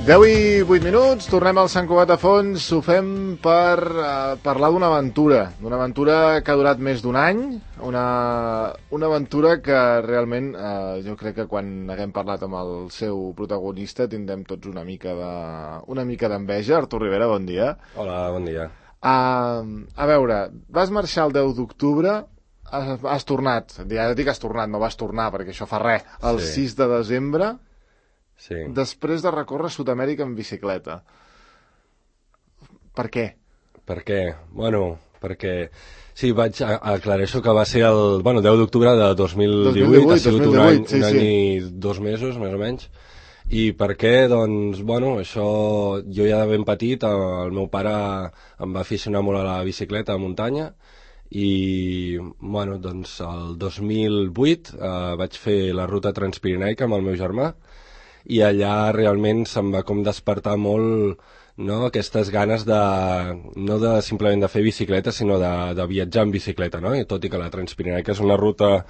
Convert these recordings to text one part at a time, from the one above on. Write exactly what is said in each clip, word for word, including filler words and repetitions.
deu i vuit minuts, tornem al Sant Cugat a fons, ho fem per uh, parlar d'una aventura, d'una aventura que ha durat més d'un any, una, una aventura que realment uh, jo crec que quan haguem parlat amb el seu protagonista tindrem tots una mica de, una mica d'enveja. Artur Rivera, bon dia. Hola, bon dia. Uh, a veure, vas marxar el deu d'octubre, has, has tornat, ja dic has tornat, no vas tornar perquè això fa res, el Sí. sis de desembre, Sí. després de recórrer Sud-amèrica en bicicleta. Per què? Per què? Bueno, perquè... Sí, vaig a- aclareixo que va ser el bueno, deu d'octubre de dos mil divuit, ha sigut un any, sí, un any sí. i dos mesos, més o menys. I per què? Doncs, bueno, això... Jo ja de ben petit, el meu pare em va aficionar molt a la bicicleta a muntanya i, bueno, doncs, el dos mil vuit eh, vaig fer la ruta transpirenaica amb el meu germà i allà realment se'm va com despertar molt, no, aquestes ganes de, no de simplement de fer bicicleta, sinó de, de viatjar en bicicleta, no? I tot i que la Transpirenaica és una ruta,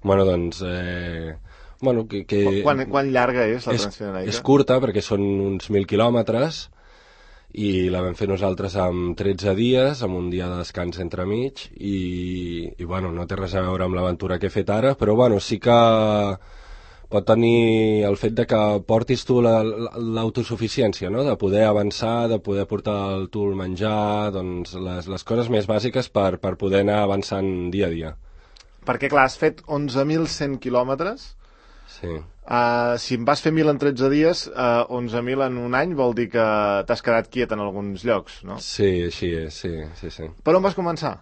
bueno, doncs, eh, bueno, que... que Quan, quan llarga és la és, Transpirenaica? és curta, perquè són uns mil quilòmetres, i la vam fer nosaltres amb tretze dies, amb un dia de descans entremig, i, i bueno, no té res a veure amb l'aventura que he fet ara, però bueno, sí que pot tenir el fet de que portis tu la- la- l'autosuficiència, no? De poder avançar, de poder portar el tu el menjar, doncs les, les coses més bàsiques per, per poder anar avançant dia a dia. Perquè, clar, has fet onze mil cent quilòmetres. Sí. Uh, si en vas fer mil en tretze dies, uh, onze mil en un any vol dir que t'has quedat quiet en alguns llocs, no? Sí, així és, sí, sí, sí. Per on vas començar?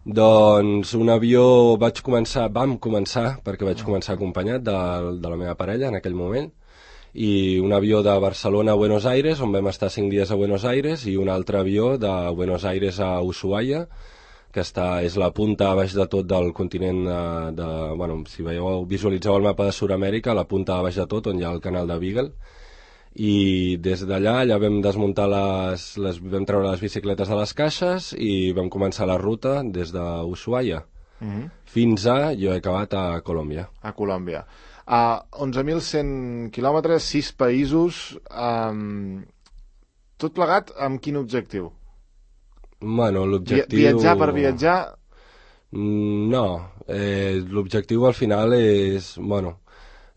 Doncs un avió vaig començar, vam començar, perquè vaig començar acompanyat de, de la meva parella en aquell moment, i un avió de Barcelona a Buenos Aires, on vam estar cinc dies a Buenos Aires, i un altre avió de Buenos Aires a Ushuaia, que està, és la punta a baix de tot del continent de, de bueno, si veieu, visualitzeu el mapa de Sud-amèrica, la punta a baix de tot, on hi ha el canal de Beagle, i des d'allà allà vam desmuntar les, les vam treure les bicicletes de les caixes i vam començar la ruta des d'Ushuaia Mm-hmm. fins a, jo he acabat a Colòmbia. A Colòmbia. Uh, onze mil cent quilòmetres, sis països, um, tot plegat amb quin objectiu? Bueno, Vi l'objectiu... viatjar per viatjar? Mm, No, eh, l'objectiu al final és, bueno,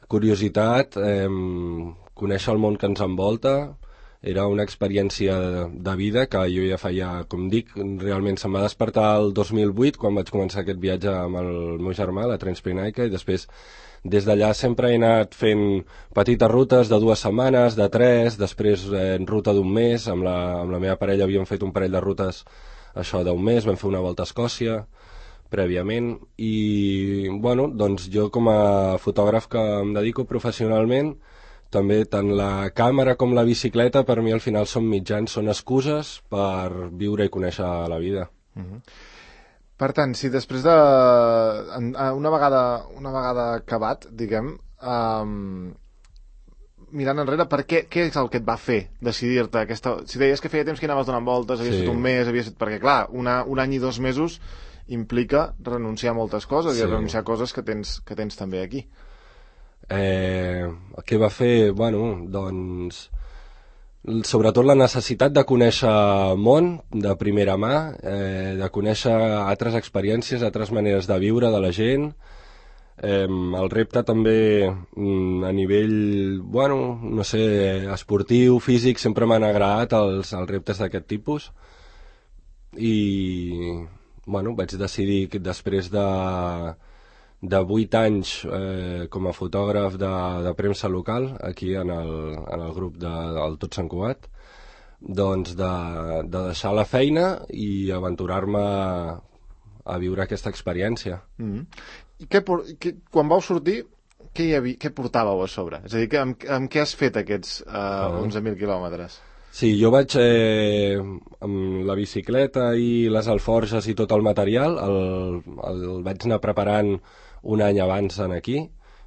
curiositat, eh, conèixer el món que ens envolta. Era una experiència de, de vida que jo ja feia, com dic, realment se'm va despertar el dos mil vuit quan vaig començar aquest viatge amb el meu germà, la Transpirenaica, i després des d'allà sempre he anat fent petites rutes de dues setmanes, de tres, després eh, en ruta d'un mes, amb la, amb la meva parella havíem fet un parell de rutes això d'un mes, vam fer una volta a Escòcia prèviament, i bueno, doncs jo com a fotògraf que em dedico professionalment, també tant la càmera com la bicicleta per mi al final són mitjans, són excuses per viure i conèixer la vida. Mm-hmm. Per tant, si després de... Una vegada, una vegada acabat, diguem, um, mirant enrere, per què, què és el que et va fer decidir-te aquesta... Si deies que feia temps que anaves donant voltes, havies Sí. fet un mes, havies fet... Perquè, clar, una, un any i dos mesos implica renunciar a moltes coses Sí. i renunciar a coses que tens, que tens també aquí. Eh, què va fer? Bueno, doncs... Sobretot la necessitat de conèixer el món de primera mà, eh, de conèixer altres experiències, altres maneres de viure de la gent. Eh, el repte també mm, a nivell, bueno, no sé, esportiu, físic, sempre m'han agradat els, els reptes d'aquest tipus. I, bueno, vaig decidir que després de... de vuit anys eh, com a fotògraf de, de premsa local aquí en el, en el grup de, del Tot Sant Cugat, doncs de, de deixar la feina i aventurar-me a, a viure aquesta experiència. Mm-hmm. I què, por- què, quan vau sortir, què, hi havia, què portàveu a sobre? És a dir, que, amb, amb què has fet aquests uh, Ah. onze mil quilòmetres? Sí, jo vaig eh, amb la bicicleta i les alforges i tot el material, el, el vaig anar preparant un any abans en aquí.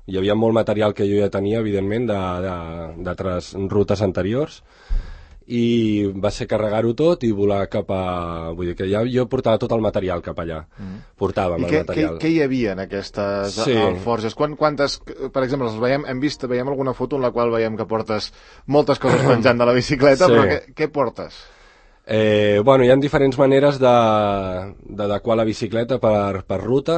Hi havia molt material que jo ja tenia, evidentment, de- de- d'altres rutes anteriors, i va ser carregar-ho tot i volar cap a... Vull dir que ja jo portava tot el material cap allà. Mm. Portàvem I el què, material. I què hi havia en aquestes sí. alforges? Quan, quantes, per exemple, els veiem, hem vist, veiem alguna foto en la qual veiem que portes moltes coses penjant de la bicicleta, sí. però què, què portes? Eh, bueno, hi ha diferents maneres d'adequar la bicicleta per, per ruta.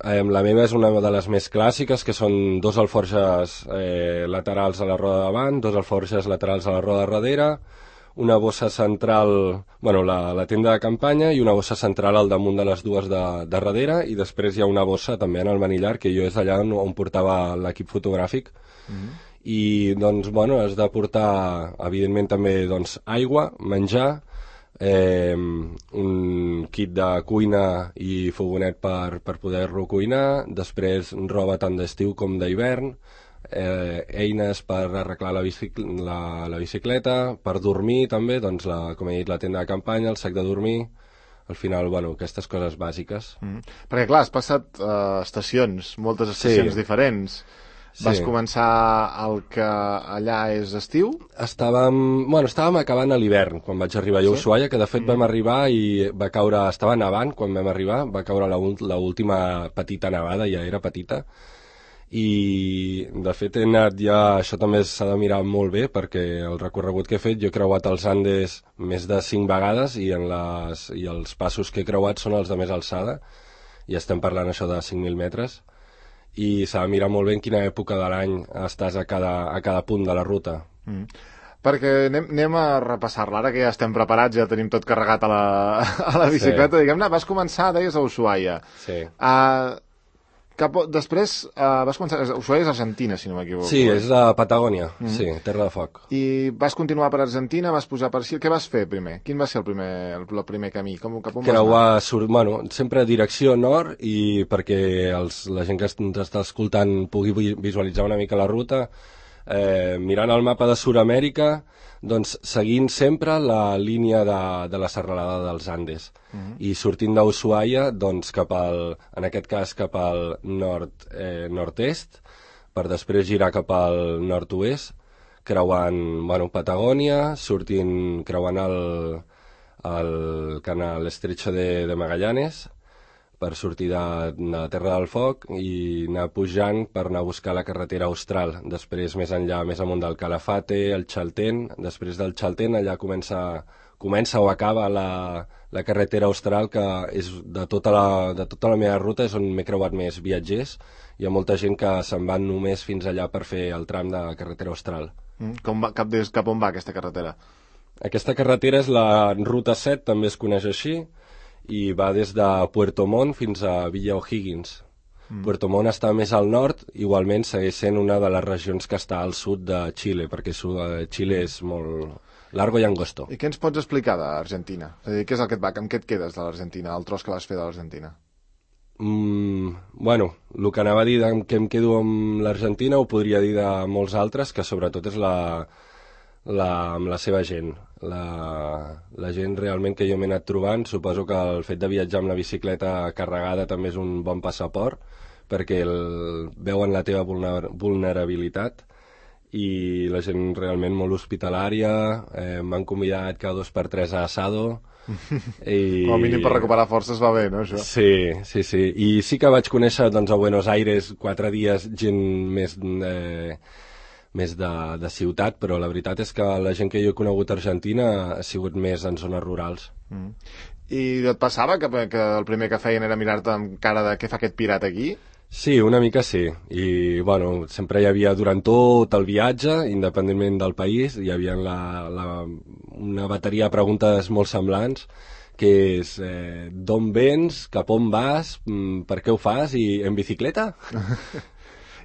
Eh, la meva és una de les més clàssiques, que són dos alforges eh, laterals a la roda de davant, dos alforges laterals a la roda de darrere, una bossa central, bueno, la, la tenda de campanya, i una bossa central al damunt de les dues de, de darrere, i després hi ha una bossa també en el manillar, que jo és allà on, on portava l'equip fotogràfic. Mm-hmm. I, doncs, bueno, has de portar, evidentment, també, doncs, aigua, menjar, Eh, un kit de cuina i fogonet per, per poder-lo cuinar, després roba tant d'estiu com d'hivern, eh, eines per arreglar la, bicic la, la bicicleta, per dormir també, doncs la, com he dit, la tenda de campanya, el sac de dormir, al final, bueno, aquestes coses bàsiques. Mm. Perquè clar, has passat uh, estacions, moltes estacions sí. diferents. Sí. Vas començar el que allà és estiu? Estàvem, bueno, estàvem acabant a l'hivern quan vaig arribar jo a Ushuaia, que de fet mm. vam arribar i va caure, estava nevant quan vam arribar, va caure l'última petita nevada, ja era petita, i de fet he anat ja, això també s'ha de mirar molt bé, perquè el recorregut que he fet, jo he creuat els Andes més de cinc vegades i, en les, i els passos que he creuat són els de més alçada, i estem parlant això de cinc mil metres, i s'ha de mirar molt bé en quina època de l'any estàs a cada, a cada punt de la ruta. Mm. Perquè anem, anem a repassar-la, ara que ja estem preparats, ja tenim tot carregat a la, a la bicicleta, sí. diguem-ne, vas començar, deies, a Ushuaia. Sí. Uh, cap, després uh, vas començar, Ushuaia és Argentina, si no m'equivoco. Sí, és a Patagònia, mm. sí, Terra de Foc. I vas continuar per Argentina, vas posar per Xile, què vas fer primer? Quin va ser el primer, el, el primer camí? Com, cap on Creuar, sur, bueno, sempre direcció nord, i perquè els, la gent que ens està escoltant pugui visualitzar una mica la ruta, eh, mirant el mapa de Sud-amèrica, doncs seguint sempre la línia de, de la serralada dels Andes. Uh-huh. I sortint d'Ushuaia, doncs cap al, en aquest cas cap al nord, eh, nord-est, per després girar cap al nord-oest, creuant, bueno, Patagònia, sortint, creuant el, el canal Estrecho de, de Magallanes, per sortir de, de Terra del Foc i anar pujant per anar a buscar la carretera austral. Després, més enllà, més amunt del Calafate, el Chaltén. Després del Chaltén, allà comença, comença o acaba la, la carretera austral, que és de tota la, de tota la meva ruta és on m'he creuat més viatgers. Hi ha molta gent que se'n van només fins allà per fer el tram de carretera austral. Mm, com va, cap, des, cap on va aquesta carretera? Aquesta carretera és la Ruta set, també es coneix així, i va des de Puerto Montt fins a Villa O'Higgins. Mm. Puerto Montt està més al nord, igualment segueix sent una de les regions que està al sud de Xile, perquè Xile és molt largo i angosto. I què ens pots explicar d'Argentina? És a dir, què és el que et va, amb què et quedes de l'Argentina, el tros que vas fer de l'Argentina? Mm, bueno, el que anava a dir de que em quedo amb l'Argentina ho podria dir de molts altres, que sobretot és la, la, amb la seva gent. La, la gent realment que jo m'he anat trobant, suposo que el fet de viatjar amb la bicicleta carregada també és un bon passaport, perquè el, veuen la teva vulner, vulnerabilitat, i la gent realment molt hospitalària, eh, m'han convidat cada dos per tres a asado, i... Com a mínim per recuperar forces va bé, no, això? Sí, sí, sí. I sí que vaig conèixer, doncs, a Buenos Aires quatre dies gent més... Eh, més de, de ciutat, però la veritat és que la gent que jo he conegut a Argentina ha sigut més en zones rurals. Mm. I et passava que, que el primer que feien era mirar-te amb cara de què fa aquest pirat aquí? Sí, una mica sí. I, bueno, sempre hi havia, durant tot el viatge, independentment del país, hi havia la, la, una bateria de preguntes molt semblants, que és eh, d'on vens, cap on vas, per què ho fas, i en bicicleta?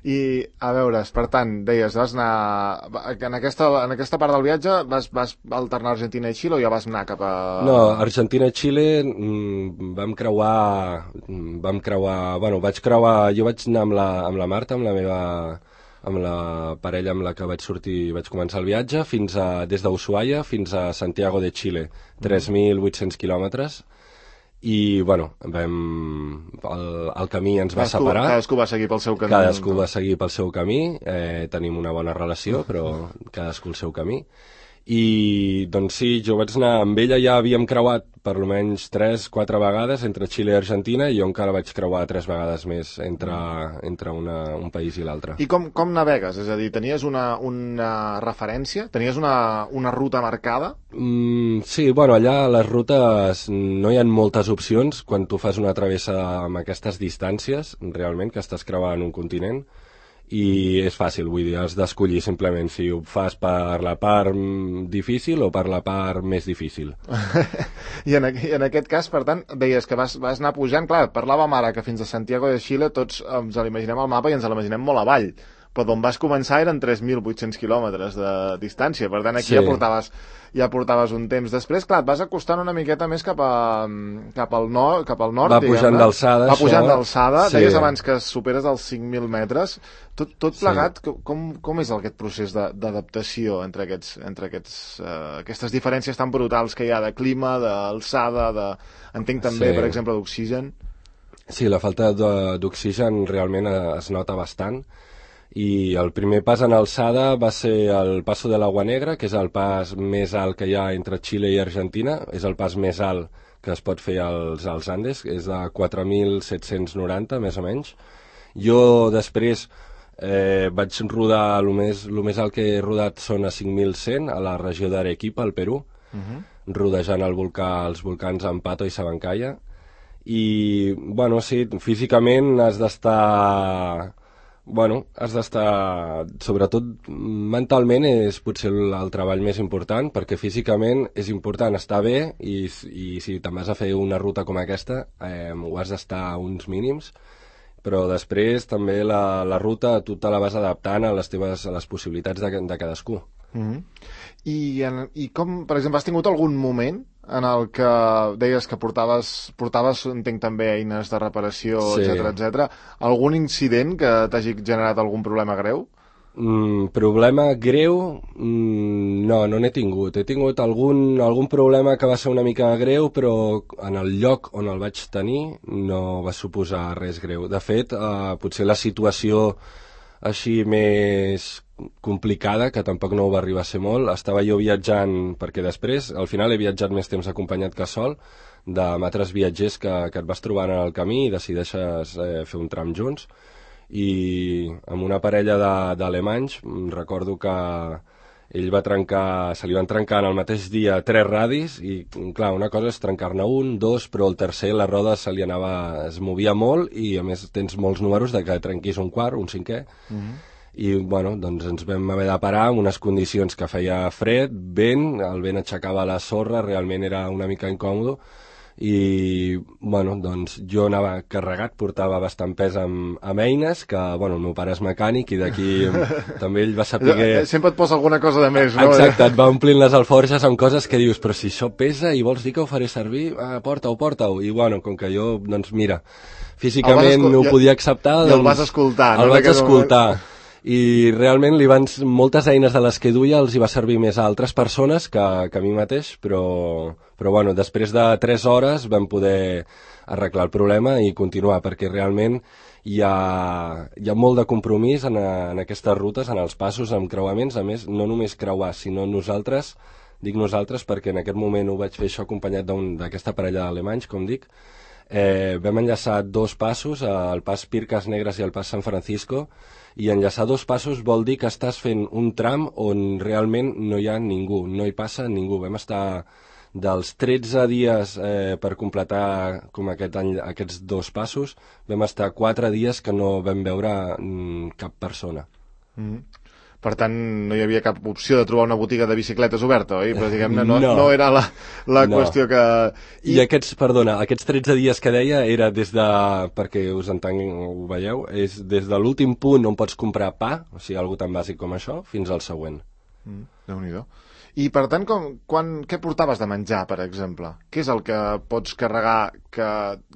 I, a veure, per tant, deies, vas anar... En aquesta, en aquesta part del viatge vas, vas alternar Argentina i Xile o ja vas anar cap a... No, Argentina i Xile mmm, vam creuar... Vam creuar... Bueno, vaig creuar... Jo vaig anar amb la, amb la Marta, amb la meva... amb la parella amb la que vaig sortir, vaig començar el viatge, fins a, des d'Ushuaia fins a Santiago de Xile, tres mil vuit-cents quilòmetres. I, bueno, vam, el, el camí ens va cadascú, separar. Cadascú va seguir pel seu camí. Cadascú va seguir pel seu camí, eh, tenim una bona relació, però cadascú el seu camí. I doncs sí, jo vaig anar amb ella, ja havíem creuat per almenys tres quatre vegades entre Xile i Argentina, i jo encara vaig creuar tres vegades més entre, entre una, un país i l'altre. I com, com navegues? És a dir, tenies una, una referència? Tenies una, una ruta marcada? Mm, sí, bueno, allà a les rutes no hi ha moltes opcions quan tu fas una travessa amb aquestes distàncies, realment, que estàs creuant un continent, i és fàcil, vull dir, has d'escollir simplement si ho fas per la part difícil o per la part més difícil. I en, I en aquest cas, per tant, deies que vas, vas anar pujant, clar, parlàvem ara que fins a Santiago de Xile tots ens l'imaginem al mapa i ens l'imaginem molt avall, però d'on vas començar eren tres mil vuit-cents quilòmetres de distància, per tant aquí sí. ja portaves ja portaves un temps. Després, clar, et vas acostant una miqueta més cap, a, cap al nord, cap al nord, va pujant d'alçada. Va pujant d'alçada, sí. Deies abans que superes els cinc mil metres. Tot, tot plegat, sí. com, com és aquest procés d'adaptació entre, aquests, entre aquests, uh, aquestes diferències tan brutals que hi ha de clima, d'alçada, de... entenc també, sí. per exemple, d'oxigen? Sí, la falta d'oxigen realment es nota bastant. I el primer pas en alçada va ser el Paso de l'Agua Negra, que és el pas més alt que hi ha entre Xile i Argentina, és el pas més alt que es pot fer als, als Andes, és de quatre mil set-cents noranta, més o menys. Jo després eh, vaig rodar, el més, el més alt que he rodat són a cinc mil cent, a la regió d'Arequipa, al Perú, uh-huh. rodejant el volcà, els volcans Ampato i Sabancaya, i, bueno, sí, físicament has d'estar... Bueno, has d'estar, sobretot mentalment és potser el, el treball més important, perquè físicament és important estar bé i, i si te'n vas a fer una ruta com aquesta eh, ho has d'estar a uns mínims, però després també la, la ruta tu te la vas adaptant a les teves a les possibilitats de, de cadascú. Mm-hmm. I, en, I com, per exemple, has tingut algun moment en el que deies que portaves, portaves entenc també eines de reparació, sí. etcètera, etcètera. Algun incident que t'hagi generat algun problema greu? Mm, problema greu? Mm, no, no n'he tingut. He tingut algun, algun problema que va ser una mica greu, però en el lloc on el vaig tenir no va suposar res greu. De fet, eh, potser la situació així més complicada, que tampoc no ho va arribar a ser molt, estava jo viatjant, perquè després, al final he viatjat més temps acompanyat que sol, d'altres altres viatgers que, que et vas trobant en el camí i decideixes eh, fer un tram junts, i amb una parella d'alemanys recordo que ell va trencar, se li van trencar en el mateix dia tres radis, i clar, una cosa és trencar-ne un, dos, però el tercer la roda se li anava, es movia molt, i a més tens molts números de que trenquis un quart, un cinquè, mm-hmm. i bueno, doncs ens vam haver de parar en unes condicions que feia fred, vent, el vent aixecava la sorra, realment era una mica incòmode, i bueno, doncs jo anava carregat, portava bastant pes amb, amb eines, que bueno, el meu pare és mecànic i d'aquí també ell va saber... Sempre et posa alguna cosa de més, no? Exacte, et va omplint les alforges amb coses que dius, però si això pesa i vols dir que ho faré servir, ah, porta-ho, porta-ho, i bueno, com que jo, doncs mira, físicament no ho podia acceptar, doncs... I el vas escoltar, no? El vaig escoltar. I realment li van, moltes eines de les que duia els hi va servir més a altres persones que, que a mi mateix, però, però bueno, després de tres hores vam poder arreglar el problema i continuar, perquè realment hi ha, hi ha molt de compromís en, a, en aquestes rutes, en els passos, en creuaments, a més, no només creuar, sinó nosaltres, dic nosaltres perquè en aquest moment ho vaig fer això acompanyat d'aquesta parella d'alemanys, com dic, eh, vam enllaçar dos passos, el pas Pircas Negres i el pas San Francisco, i enllaçar dos passos vol dir que estàs fent un tram on realment no hi ha ningú, no hi passa ningú. Vam estar dels tretze dies eh, per completar com aquest any, aquests dos passos, vam estar quatre dies que no vam veure mm, cap persona. Mm-hmm. Per tant, no hi havia cap opció de trobar una botiga de bicicletes oberta, oi? Però diguem-ne, no, no. no era la, la no. qüestió que... I... I aquests, perdona, aquests tretze dies que deia era des de, perquè us entenc, ho veieu, és des de l'últim punt on pots comprar pa, o sigui, algo tan bàsic com això, fins al següent. Mm, Déu-n'hi-do. I per tant, com, quan, què portaves de menjar, per exemple? Què és el que pots carregar que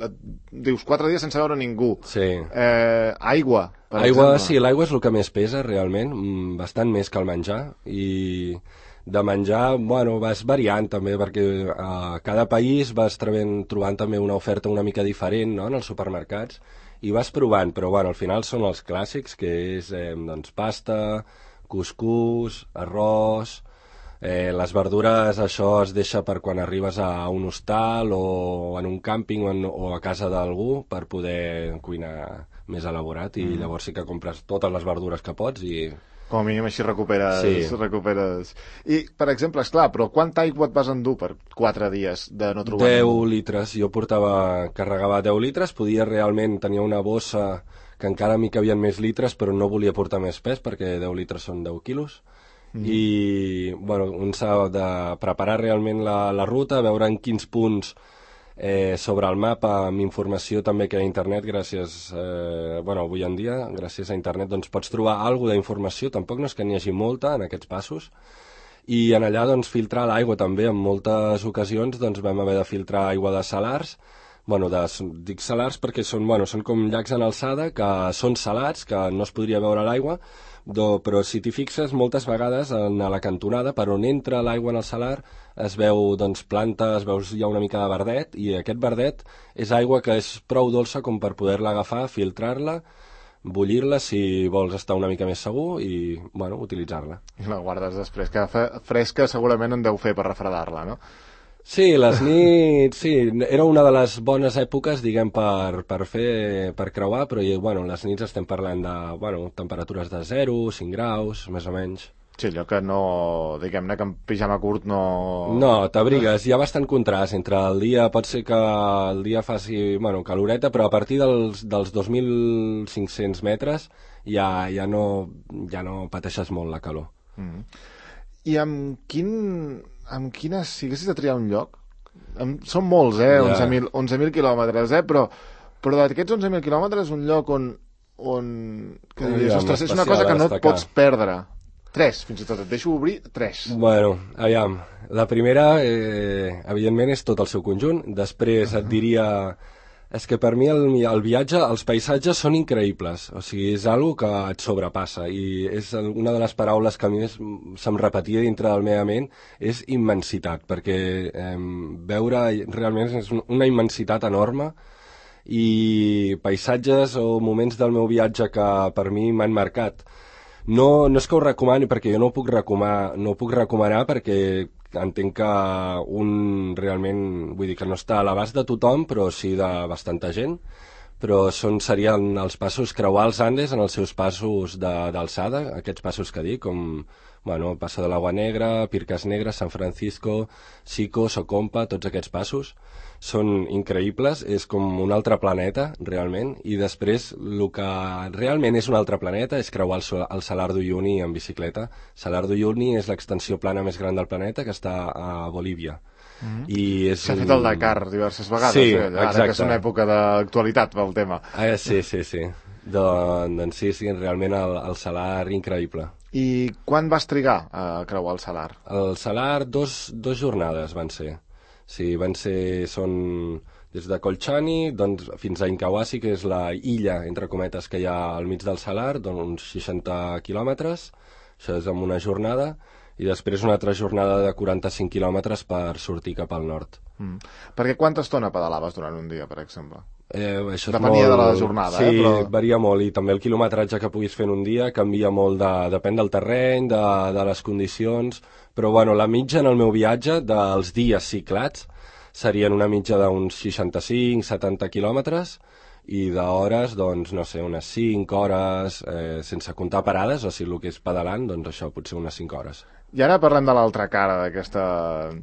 et dius quatre dies sense veure ningú? Sí. Eh, aigua, per aigua, exemple. Sí, l'aigua és el que més pesa, realment, bastant més que el menjar, i de menjar, bueno, vas variant també, perquè a cada país vas trobant, trobant també una oferta una mica diferent, no?, en els supermercats, i vas provant, però bueno, al final són els clàssics, que és eh, doncs, pasta, cuscús, arròs... Eh, les verdures, això es deixa per quan arribes a un hostal o en un càmping o, en, o a casa d'algú per poder cuinar més elaborat i mm. llavors sí que compres totes les verdures que pots i... Com a mínim així recuperes... Sí. recuperes... I, per exemple, esclar, però quanta aigua et vas endur per quatre dies de no trobar deu ningú? litres. Jo portava, carregava deu litres, podia realment tenir una bossa que encara m'hi cabien més litres, però no volia portar més pes perquè deu litres són deu quilos. Mm. I, bueno, un s'ha de preparar realment la, la ruta, veure en quins punts Eh, sobre el mapa, amb informació també que a internet, gràcies, eh, bueno, avui en dia, gràcies a internet, doncs pots trobar alguna d'informació, tampoc no és que n'hi hagi molta en aquests passos, i en allà doncs filtrar l'aigua també, en moltes ocasions doncs vam haver de filtrar aigua de salars, bueno, de, dic salars perquè són, bueno, són com llacs en alçada, que són salats, que no es podria veure l'aigua, do, però si t'hi fixes, moltes vegades en la cantonada, per on entra l'aigua en el salar, es veu doncs, plantes, veus hi ha una mica de verdet, i aquest verdet és aigua que és prou dolça com per poder-la agafar, filtrar-la, bullir-la si vols estar una mica més segur i, bueno, utilitzar-la. I la guardes després, que fresca segurament en deu fer per refredar-la, no? Sí, les nits, sí, era una de les bones èpoques, diguem, per, per fer, per creuar, però, bueno, les nits estem parlant de, bueno, temperatures de zero, cinc graus, més o menys. Sí, allò que no, diguem-ne que en pijama curt no... No, t'abrigues, hi ha bastant contrast entre el dia, pot ser que el dia faci, bueno, caloreta, però a partir dels, dels dos mil cinc-cents metres ja, ja, no, ja no pateixes molt la calor. Mm. I amb quin... amb quines... si haguessis de triar un lloc, amb, són molts, eh, ja. onze mil quilòmetres, eh, però, però d'aquests onze mil quilòmetres un lloc on, on que diries, ostres, és una cosa que no et pots perdre. Tres, fins i tot, et deixo obrir tres. Bueno, aviam, la primera, eh, evidentment, és tot el seu conjunt, després et diria... És que per mi el, el viatge, els paisatges són increïbles, o sigui, és algo que et sobrepassa i és una de les paraules que a mi se'm repetia dintre de la meva ment, és immensitat, perquè eh, veure realment és una immensitat enorme i paisatges o moments del meu viatge que per mi m'han marcat. No, no és que ho recomani perquè jo no ho puc recomanar, no ho puc recomanar perquè entenc que un realment, vull dir que no està a l'abast de tothom, però sí de bastanta gent, però són, serien els passos, creuar els Andes en els seus passos d'alçada, aquests passos que dic, com bueno, Passo de l'Agua Negra, Pircas Negras, San Francisco, Sico, Socompa, tots aquests passos són increïbles, és com un altre planeta, realment, i després el que realment és un altre planeta és creuar el, el Salar d'Uyuni en bicicleta. Salar d'Uyuni és l'extensió plana més gran del planeta, que està a Bolívia. Mm-hmm. I és s'ha fet el Dakar diverses vegades, sí, eh? Ara exacte. Que és una època d'actualitat pel tema. Ah, sí, sí, sí. Doncs sí, sí, realment el, el Salar increïble. I quan vas trigar a creuar el Salar? El Salar, dos, dos jornades van ser. Sí, van ser, són des de Colchani doncs, fins a Incahuasi, que és la illa, entre cometes, que hi ha al mig del Salar, d'uns seixanta quilòmetres, això és en una jornada, i després una altra jornada de quaranta-cinc quilòmetres per sortir cap al nord. Mm. Perquè quanta estona pedalaves durant un dia, per exemple? Eh, això Depenia molt... de la jornada, sí, eh? Però... varia molt, i també el quilometratge que puguis fer en un dia canvia molt, de, depèn del terreny, de, de les condicions, però bueno, la mitja en el meu viatge dels dies ciclats serien una mitja d'uns seixanta-cinc setanta quilòmetres i d'hores, doncs, no sé, unes cinc hores, eh, sense comptar parades, o sigui, el que és pedalant, doncs això, potser unes cinc hores. I ara parlem de l'altra cara d'aquesta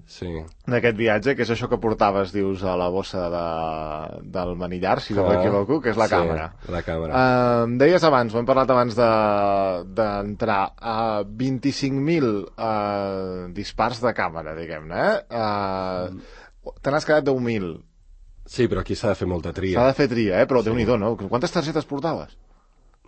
sí. d'aquest viatge, que és això que portaves, dius, a la bossa de, del manillar, si no m'equivoco, que és la sí, càmera. la càmera. Uh, em deies abans, ho hem parlat abans d'entrar, de, a vint-i-cinc mil uh, dispars de càmera, diguem-ne, eh? Uh, mm. Te n'has quedat deu mil. Sí, però aquí s'ha de fer molta tria. S'ha de fer tria, eh? Però sí. Déu-n'hi-do, no? Quantes targetes portaves?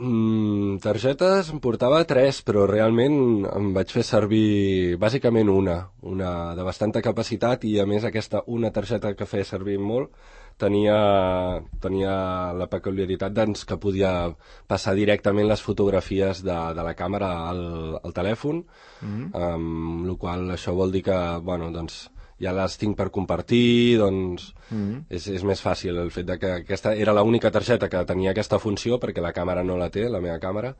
Mm, targetes em portava tres, però realment em vaig fer servir bàsicament una, una de bastanta capacitat, i a més aquesta una targeta que feia servir molt tenia, tenia la peculiaritat doncs, que podia passar directament les fotografies de, de la càmera al, al telèfon, mm-hmm. amb la qual això vol dir que, bueno, doncs, ja les tinc per compartir, doncs mm-hmm. és, és més fàcil el fet de que aquesta era l'única targeta que tenia aquesta funció, perquè la càmera no la té, la meva càmera,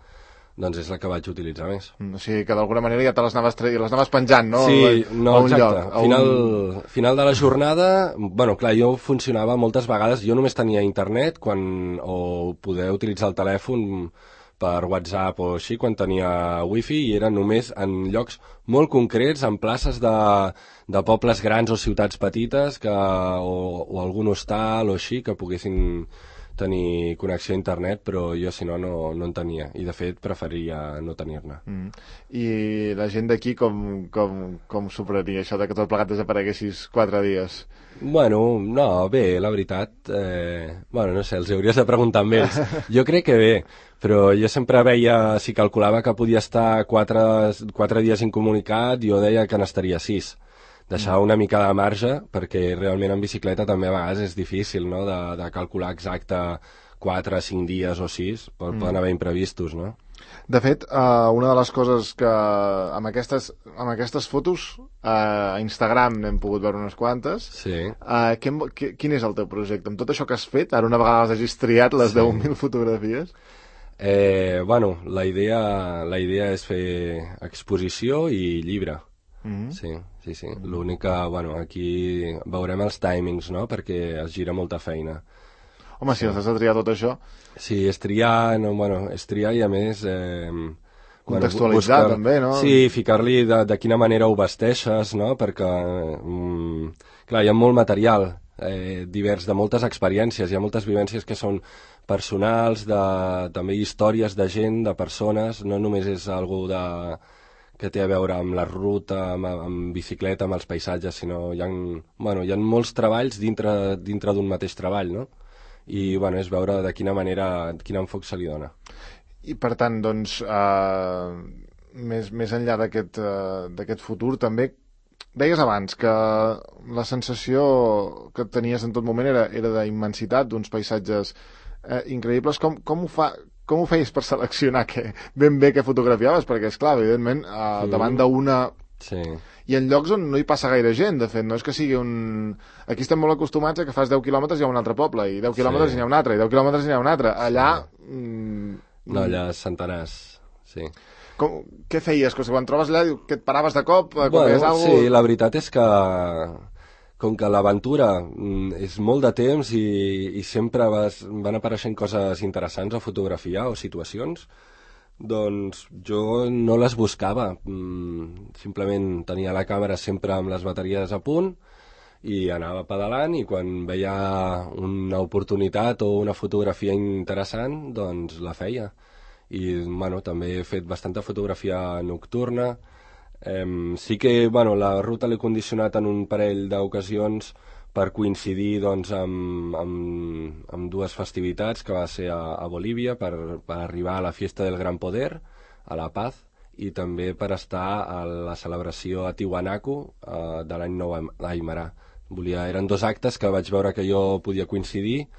doncs és la que vaig utilitzar més. Mm, o sigui que d'alguna manera ja te les anaves, tre... les anaves penjant, no? Sí, no, a un exacte. lloc. A Final, un... final de la jornada, bueno, clar, jo funcionava moltes vegades, jo només tenia internet quan, o poder utilitzar el telèfon per WhatsApp o així, quan tenia wifi, i era només en llocs molt concrets, en places de, de pobles grans o ciutats petites, que, o, o algun hostal o així, que poguessin tenir connexió a internet, però jo, si no, no, no en tenia. I, de fet, preferia no tenir-ne. Mm. I la gent d'aquí com, com, com s'ho prenia, això de que tot plegat desapareguessis quatre dies? Bueno, no, bé, la veritat... Eh, bueno, no sé, els hauries de preguntar amb ells. Jo crec que bé, però jo sempre veia, si calculava que podia estar quatre, quatre dies incomunicat, jo deia que n'estaria sis. Deixar una mica de marge, perquè realment en bicicleta també a vegades és difícil, no?, de, de calcular exacte quatre, cinc dies o sis, poden mm. haver imprevistos, no? De fet, uh, una de les coses que amb aquestes, amb aquestes fotos uh, a Instagram n'hem pogut veure unes quantes. Sí. Uh, que, que, quin és el teu projecte? Amb tot això que has fet, ara una vegada les hagis triat, les sí. deu mil fotografies? Eh, bueno, la idea, la idea és fer exposició i llibre. Mm-hmm. Sí, sí, sí. Mm-hmm. L'únic que, bueno, aquí veurem els timings, no?, perquè es gira molta feina. Home, si sí. has de triar tot això... Sí, és triar, no, bueno, és triar i a més... Eh, contextualitzar, bueno, buscar, també, no? Sí, ficar-li de, de quina manera ho vesteixes, no?, perquè, mm, clar, hi ha molt material eh, divers, de moltes experiències, hi ha moltes vivències que són personals, de, també històries de gent, de persones, no només és algú de... que té a veure amb la ruta, amb, amb bicicleta, amb els paisatges, sinó hi ha, bueno, hi ha molts treballs dintre, dintre d'un mateix treball, no? I, bueno, és veure de quina manera, quin enfoc se li dona. I, per tant, doncs, eh, més, més enllà d'aquest uh, d'aquest futur, també, deies abans que la sensació que tenies en tot moment era, era d'immensitat, d'uns paisatges eh, increïbles. Com, com ho fa... Com ho feies per seleccionar que, ben bé què fotografiaves? Perquè, esclar, evidentment, eh, mm. davant d'una... Sí. I en llocs on no hi passa gaire gent, de fet, no és que sigui un... Aquí estem molt acostumats a que fas deu quilòmetres i hi ha un altre poble, i deu quilòmetres sí. i n'hi ha un altre, i deu quilòmetres i n'hi ha un altre. Allà... Sí. Mm, no, allà centenars, sí. Com, què feies? Quan trobes allà, que et paraves de cop? Bueno, algo... sí, la veritat és que... Com que l'aventura és molt de temps i, i sempre vas, van apareixent coses interessants a fotografiar o situacions, doncs jo no les buscava. Simplement tenia la càmera sempre amb les bateries a punt i anava pedalant, i quan veia una oportunitat o una fotografia interessant, doncs la feia. I bueno, també he fet bastanta fotografia nocturna. Um, sí que bueno, la ruta l'he condicionat en un parell d'ocasions per coincidir doncs, amb, amb, amb dues festivitats, que va ser a, a Bolívia per, per arribar a la Fiesta del Gran Poder, a La Paz, i també per estar a la celebració a Tiwanaku uh, de l'any nou Aimara. Volia, eren dos actes que vaig veure que jo podia coincidir,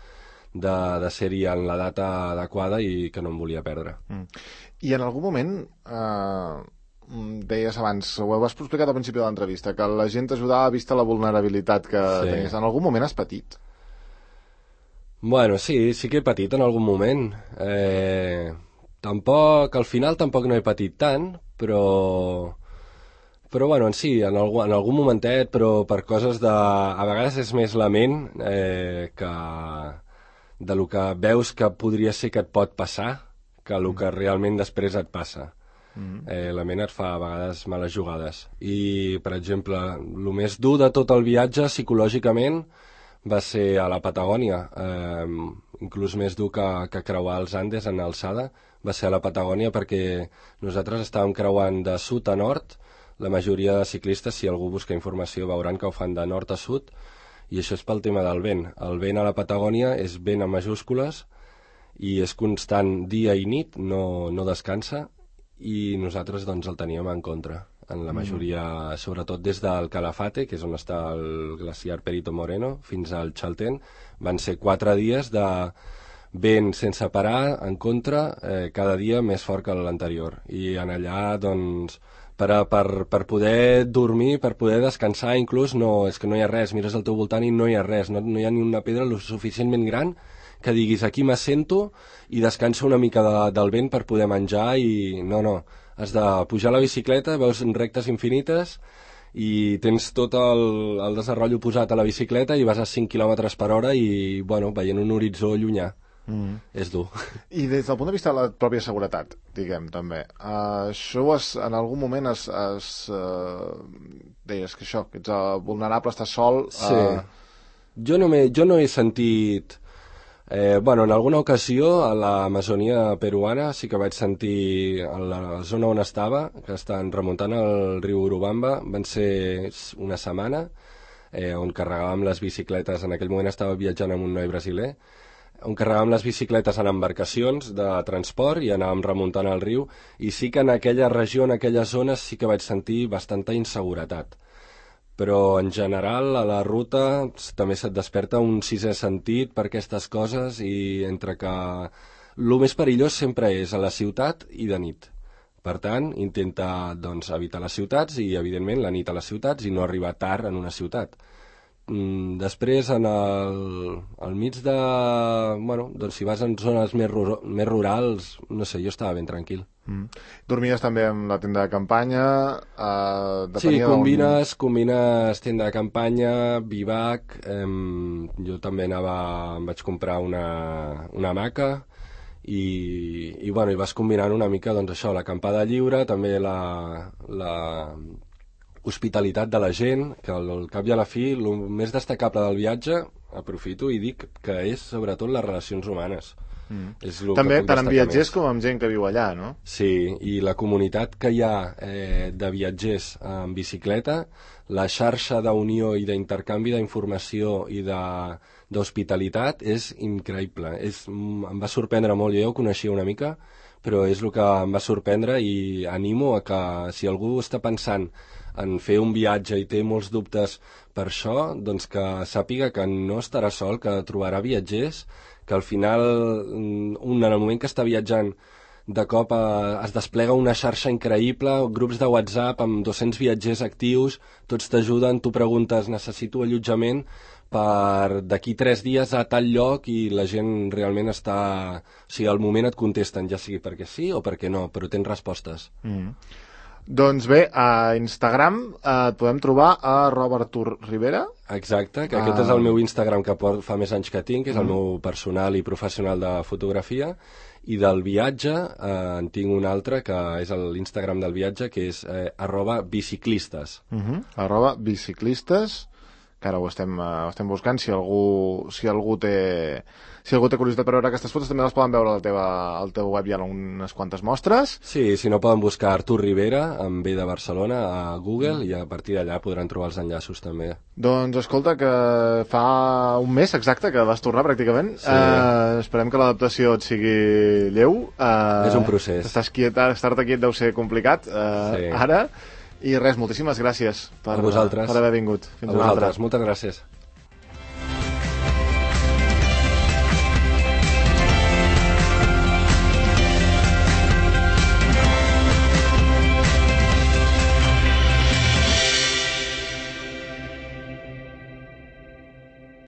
de, de ser-hi en la data adequada i que no em volia perdre. Mm. I en algun moment... Uh... deies abans, ho has explicat al principi de l'entrevista, que la gent t'ajudava vista la vulnerabilitat que sí. tenies. En algun moment has patit? Bueno, sí, sí que he patit en algun moment. Eh, tampoc, al final tampoc no he patit tant, però... Però, bueno, en sí, en algun, en algun momentet, però per coses de... A vegades és més la ment eh, que de lo que veus que podria ser que et pot passar, que el que realment després et passa. Mm-hmm. Eh, la ment et fa a vegades males jugades. I, per exemple, el més dur de tot el viatge psicològicament va ser a la Patagònia, eh, inclús més dur que, que creuar els Andes en alçada, va ser a la Patagònia, perquè nosaltres estàvem creuant de sud a nord. La majoria de ciclistes, si algú busca informació, veuran que ho fan de nord a sud, i això és pel tema del vent. El vent a la Patagònia és vent en majúscules i és constant dia i nit, no, no descansa, i nosaltres doncs el teníem en contra, en la majoria, mm. sobretot des del Calafate, que és on està el glaciar Perito Moreno, fins al Chaltén. Van ser quatre dies de vent sense parar, en contra, eh, cada dia més fort que l'anterior. I en allà, doncs, per, a, per, per poder dormir, per poder descansar, inclús, no, és que no hi ha res, mires al teu voltant i no hi ha res, no, no hi ha ni una pedra lo suficientment gran que diguis aquí m'assento i descanso una mica de, del vent per poder menjar i no, no, has de pujar a la bicicleta, veus rectes infinites i tens tot el, el desenrotllo posat a la bicicleta i vas a cinc quilòmetres per hora i, bueno, veient un horitzó llunyà. Mm. És dur. I des del punt de vista de la pròpia seguretat, diguem, també, uh, això has, en algun moment has, has uh, deies que això, que ets uh, vulnerable, estàs sol... Uh... Sí. Jo no, jo no he sentit... Eh, bueno, en alguna ocasió a l'Amazonia peruana sí que vaig sentir a la zona on estava, que estan remuntant el riu Urubamba, van ser una setmana, eh, on carregàvem les bicicletes, en aquell moment estava viatjant amb un noi brasiler, on carregàvem les bicicletes en embarcacions de transport i anàvem remuntant el riu, i sí que en aquella regió, en aquelles zones, sí que vaig sentir bastanta inseguretat. Però en general a la ruta també se't desperta un sisè sentit per aquestes coses i entre que el més perillós sempre és a la ciutat i de nit. Per tant, intenta doncs, evitar les ciutats i, evidentment, la nit a les ciutats i no arribar tard en una ciutat. Mm, després, en el, al mig de... Bueno, doncs si vas en zones més, ru més rurals, no sé, jo estava ben tranquil. Mm. Dormies també amb la tenda de campanya? Eh, sí, combines, combines tenda de campanya, bivac, eh, jo també anava, em vaig comprar una, una hamaca i, i, bueno, i vas combinant una mica, doncs això, l'acampada lliure, també la... la hospitalitat de la gent, que al, al cap i a la fi el més destacable del viatge, aprofito i dic que és sobretot les relacions humanes. Mm. És també tant amb viatgers més. Com amb gent que viu allà, no? Sí, i la comunitat que hi ha eh, de viatgers en bicicleta, la xarxa d'unió i d'intercanvi d'informació i d'hospitalitat és increïble. És, em va sorprendre molt, jo ho coneixia una mica, però és el que em va sorprendre i animo a que si algú està pensant en fer un viatge i té molts dubtes per això, doncs que sàpiga que no estarà sol, que trobarà viatgers, que al final, un, en el moment que està viatjant, de cop eh, es desplega una xarxa increïble, grups de WhatsApp amb dos-cents viatgers actius, tots t'ajuden, tu preguntes, necessito allotjament per d'aquí tres dies a tal lloc i la gent realment està... O sigui, al moment et contesten, ja sigui perquè sí o perquè no, però tens respostes. Mm. Doncs bé, a Instagram eh, et podem trobar a Robert Artur Rivera. Exacte, que aquest ah. és el meu Instagram que fa més anys que tinc, és mm. el meu personal i professional de fotografia, i del viatge eh, en tinc un altre que és l'Instagram del viatge, que és eh, arroba biciclistes. Mm -hmm. Arroba biciclistes, que ara ho estem, uh, estem buscant, si algú, si algú té... Si algú té curiositat per veure aquestes fotos, també les poden veure al, teva, al teu web, hi ha unes quantes mostres. Sí, si no poden buscar Artur Rivera, amb B de Barcelona, a Google, mm. i a partir d'allà podran trobar els enllaços també. Doncs escolta, que fa un mes exacte que vas tornar pràcticament. Sí. Uh, esperem que l'adaptació et sigui lleu. Uh, És un procés. Estàs quiet, estar-te quiet deu ser complicat, uh, sí. Ara. I res, moltíssimes gràcies per, per haver vingut. Fins a vosaltres, moltes gràcies.